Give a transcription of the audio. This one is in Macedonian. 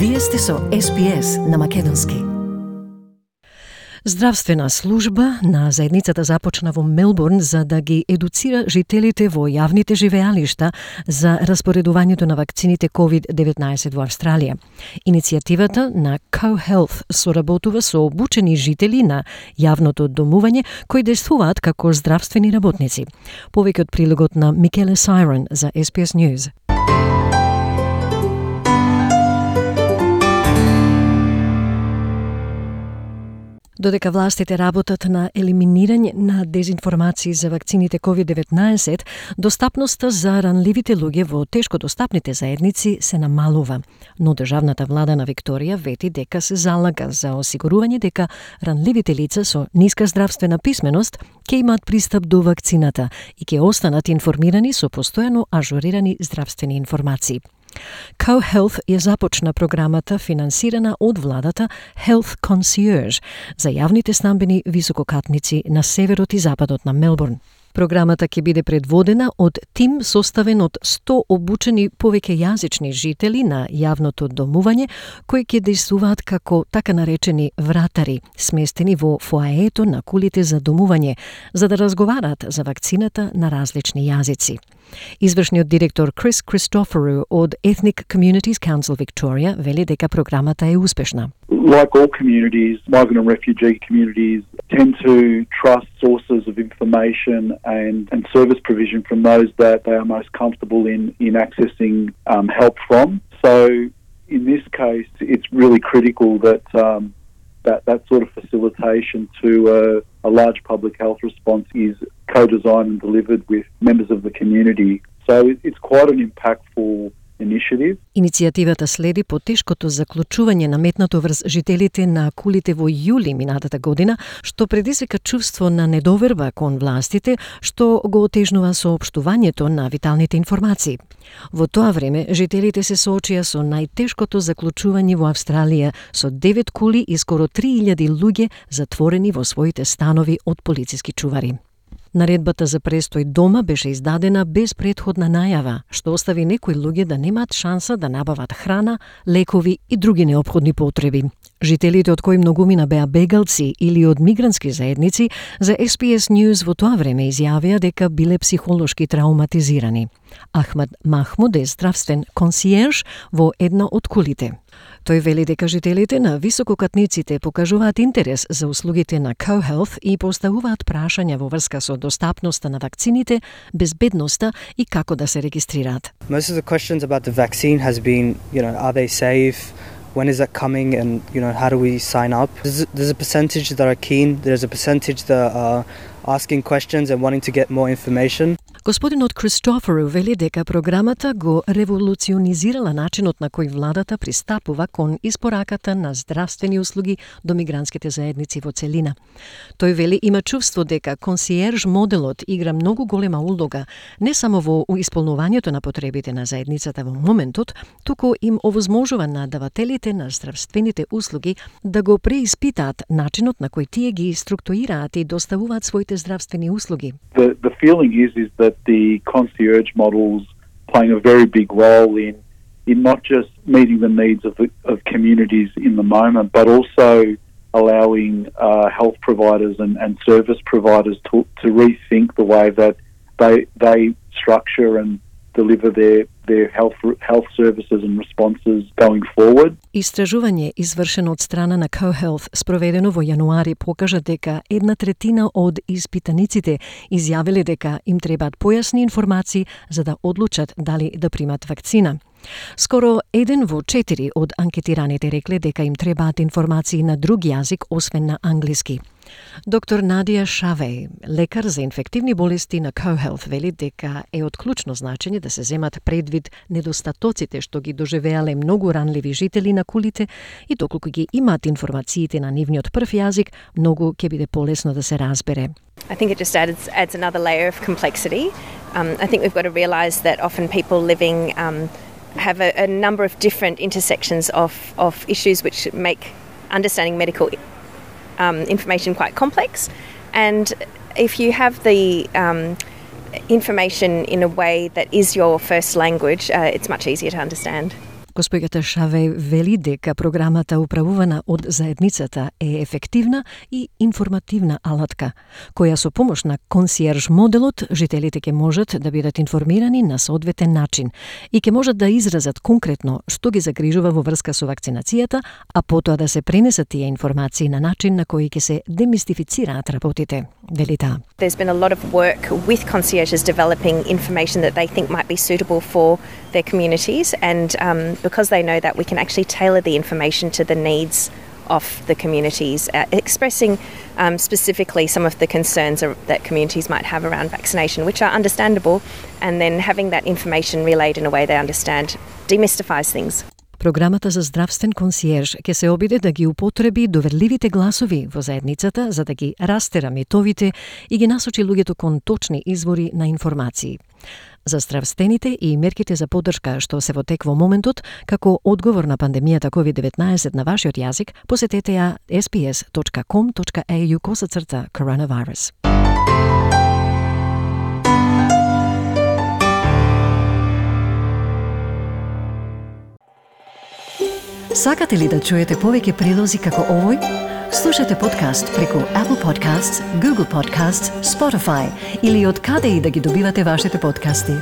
Вие сте со SPS на македонски. Здравствена служба на заедницата започна во Мелбурн за да ги едуцира жителите во јавните живеалишта за распоредувањето на вакцините COVID-19 во Австралија. Иницијативата на CoHealth соработува со обучени жители на јавното домување кои действуваат како здравствени работници. Повеќе од прилогот на Микеле Сайрон за SPS News. Додека властите работат на елиминирање на дезинформации за вакцините COVID-19, достапноста за ранливите луѓе во тешко достапните заедници се намалува. Но државната влада на Викторија вети дека се залага за осигурување дека ранливите лица со ниска здравствена писменост ќе имаат пристап до вакцината и ќе останат информирани со постојано ажурирани здравствени информации. CoHealth ја започна програмата финансирана од владата Health Concierge за јавните стамбени висококатници на северот и западот на Мелбурн. Програмата ќе биде предводена од тим составен од 100 обучени повеќе јазични жители на јавното домување кои ќе действуваат како така наречени вратари, сместени во фоаето на кулите за домување, за да разговараат за вакцината на различни јазици. Извршниот директор Крис Christoforou од Ethnic Communities Council Victoria вели дека програмата е успешна. Like all communities, migrant and refugee communities tend to trust sources of information and service provision from those that they are most comfortable in accessing help from. So in this case, it's really critical that that sort of facilitation to a large public health response is co-designed and delivered with members of the community. So it's quite an impactful initiative. Иницијативата следи по тешкото заклучување наметнато врз жителите на кулите во јули минатата година, што предизвика чувство на недоверба кон властите, што го отежнува соопштувањето на виталните информации. Во тоа време, жителите се соочија со најтешкото заклучување во Австралија, со 9 кули и скоро 3000 луѓе затворени во своите станови од полициски чувари. Наредбата за престој дома беше издадена без претходна најава, што остави некои луѓе да немаат шанса да набават храна, лекови и други неопходни потреби. Жителите од кои многумина беа бегалци или од мигрантски заедници, за SPS News во тоа време изјавија дека биле психолошки трауматизирани. Ахмад Махмуд е здравствен консиерж во една од кулите. Тој вели дека жителите на висококатниците покажуваат интерес за услугите на CoHealth и поставуваат прашања во врска со достапноста на вакцините, безбедноста и како да се регистрираат. Most of the questions about the vaccine has been, are they safe? When is that coming? And, how do we sign up? There's a percentage that are keen. There's a percentage that are asking questions and wanting to get more information. Господинот Christoforou вели дека програмата го револуционизирала начинот на кој владата пристапува кон испораката на здравствени услуги до мигрантските заедници во целина. Тој вели има чувство дека консиерж моделот игра многу голема улога не само во исполнувањето на потребите на заедницата во моментот, туку им овозможува на давателите на здравствените услуги да го преиспитаат начинот на кој тие ги структурираат и доставуваат своите здравствени услуги. The feeling is that the concierge model's playing a very big role in not just meeting the needs of communities in the moment, but also allowing health providers and service providers to rethink the way that they structure and deliver their health services and responses going forward. Истражување извршено од страна на CoHealth спроведено во јануари покажа дека 1/3 од испитаниците изјавиле дека им требаат појасни информации за да одлучат дали да примат вакцина. Скоро 1 во 4 од анкетираните рекле дека им требаат информации на друг јазик освен на англиски. Доктор Надија Шавеј, лекар за инфективни болести на CoHealth, вели дека е од клучно значење да се земат предвид недостатоците што ги доживеале многу ранливи жители на кулите и доколку ги имаат информациите на нивниот прв јазик, многу ќе биде полесно да се разбере. I think it just adds another layer of complexity. I think we've got to realise that often people living have a number of different intersections of issues which make understanding medical information quite complex. And if you have the information in a way that is your first language, it's much easier to understand. Госпоѓата Шавеј вели дека програмата управувана од заедницата е ефективна и информативна алатка, која со помош на консиерж моделот жителите ќе можат да бидат информирани на соодветен начин и ќе можат да изразат конкретно што ги загрижува во врска со вакцинацијата, а потоа да се пренесат тие информации на начин на кој ќе се демистифицираат работите, вели таа. There's been a lot of work with concierges developing information that they think might be suitable for their communities, and because they know that, we can actually tailor the information to the needs of the communities, expressing specifically some of the concerns that communities might have around vaccination, which are understandable, and then having that information relayed in a way they understand demystifies things. Програмата за здравствен консиерж ќе се обиде да ги употреби доверливите гласови во заедницата за да ги растера митовите и ги насочи луѓето кон точни извори на информации. За здравствените и мерките за поддршка што се во тек во моментот, како одговор на пандемијата COVID-19 на вашиот јазик, посетете ја sbs.com.au/coronavirus. Сакате ли да чуете повеќе прилози како овој? Слушате подкаст преку Apple Podcasts, Google Podcasts, Spotify или од каде и да ги добивате вашите подкасти.